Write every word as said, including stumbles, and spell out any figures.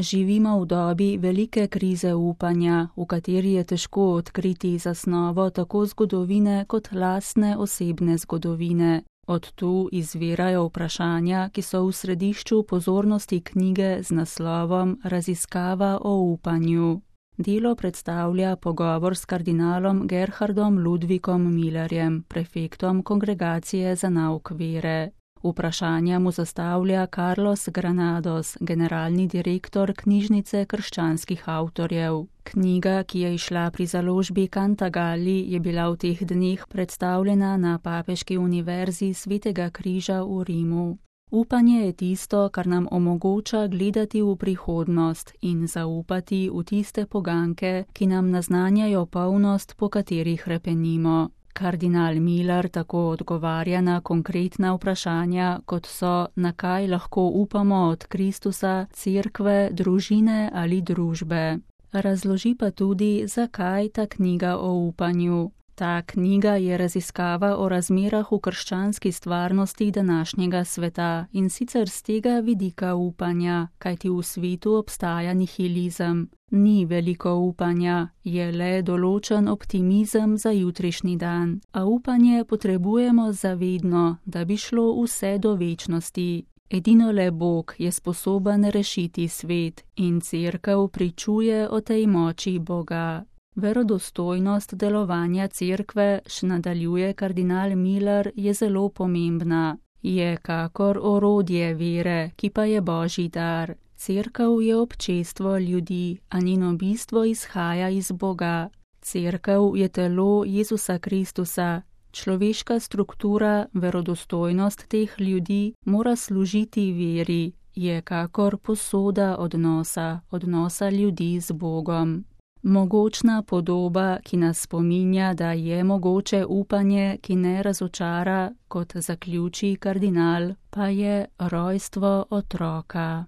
Živimo v dobi velike krize upanja, v kateri je težko odkriti zasnovo tako zgodovine kot lastne osebne zgodovine. Od tu izvirajo vprašanja, ki so v središču pozornosti knjige z naslovom Raziskava o upanju. Delo predstavlja pogovor s kardinalom Gerhardom Ludvikom Millerjem, prefektom Kongregacije za nauk vere. Vprašanja mu zastavlja Carlos Granados, generalni direktor Knjižnice krščanskih avtorjev. Knjiga, ki je izšla pri založbi Cantagalli, je bila v teh dneh predstavljena na Papeški univerzi Svetega križa v Rimu. Upanje je tisto, kar nam omogoča gledati v prihodnost in zaupati v tiste poganke, ki nam naznanjajo polnost, po kateri hrepenimo. Kardinal Miller tako odgovarja na konkretna vprašanja, kot so, na kaj lahko upamo od Kristusa, cerkve, družine ali družbe. Razloži pa tudi, zakaj ta knjiga o upanju. Ta knjiga je raziskava o razmerah v krščanski stvarnosti današnjega sveta in sicer z tega vidika upanja, kajti v svetu obstaja nihilizem. Ni veliko upanja, je le določen optimizem za jutrišnji dan, a upanje potrebujemo zavedno, da bi šlo vse do večnosti. Edino le Bog je sposoben rešiti svet in cerkev pričuje o tej moči Boga. Verodostojnost delovanja cerkve, še nadaljuje kardinal Miller, je zelo pomembna. Je kakor orodje vere, ki pa je Božji dar. Cerkev je občestvo ljudi, a njeno bistvo izhaja iz Boga. Cerkev je telo Jezusa Kristusa. Človeška struktura, verodostojnost teh ljudi mora služiti veri. Je kakor posoda odnosa, odnosa ljudi z Bogom. Mogočna podoba, ki nas spominja, da je mogoče upanje, ki ne razočara, kot zaključi kardinal, pa je rojstvo otroka.